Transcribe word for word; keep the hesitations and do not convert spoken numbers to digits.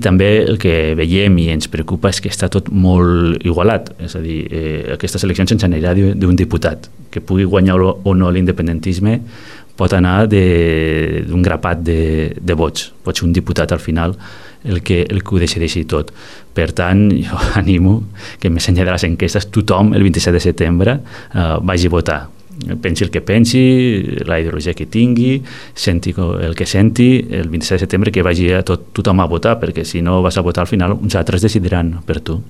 també el que veiem i ens preocupa és que està tot molt igualat, és a dir, eh, aquestes eleccions ens anirà d'un diputat, que pugui guanyar o no l'independentisme pot anar d'un grapat de, de vots, pot ser un diputat al final el que, el que ho decideixi tot. Per tant, jo animo que més enllà de les enquestes tothom el vint-i-set de setembre eh, vagi a votar. Pensi el que pensi, la ideologia que tingui, senti el que senti, el vint-i-set de setembre que vagi a tot, tothom a votar, perquè si no vas a votar al final uns altres decidiran per tu.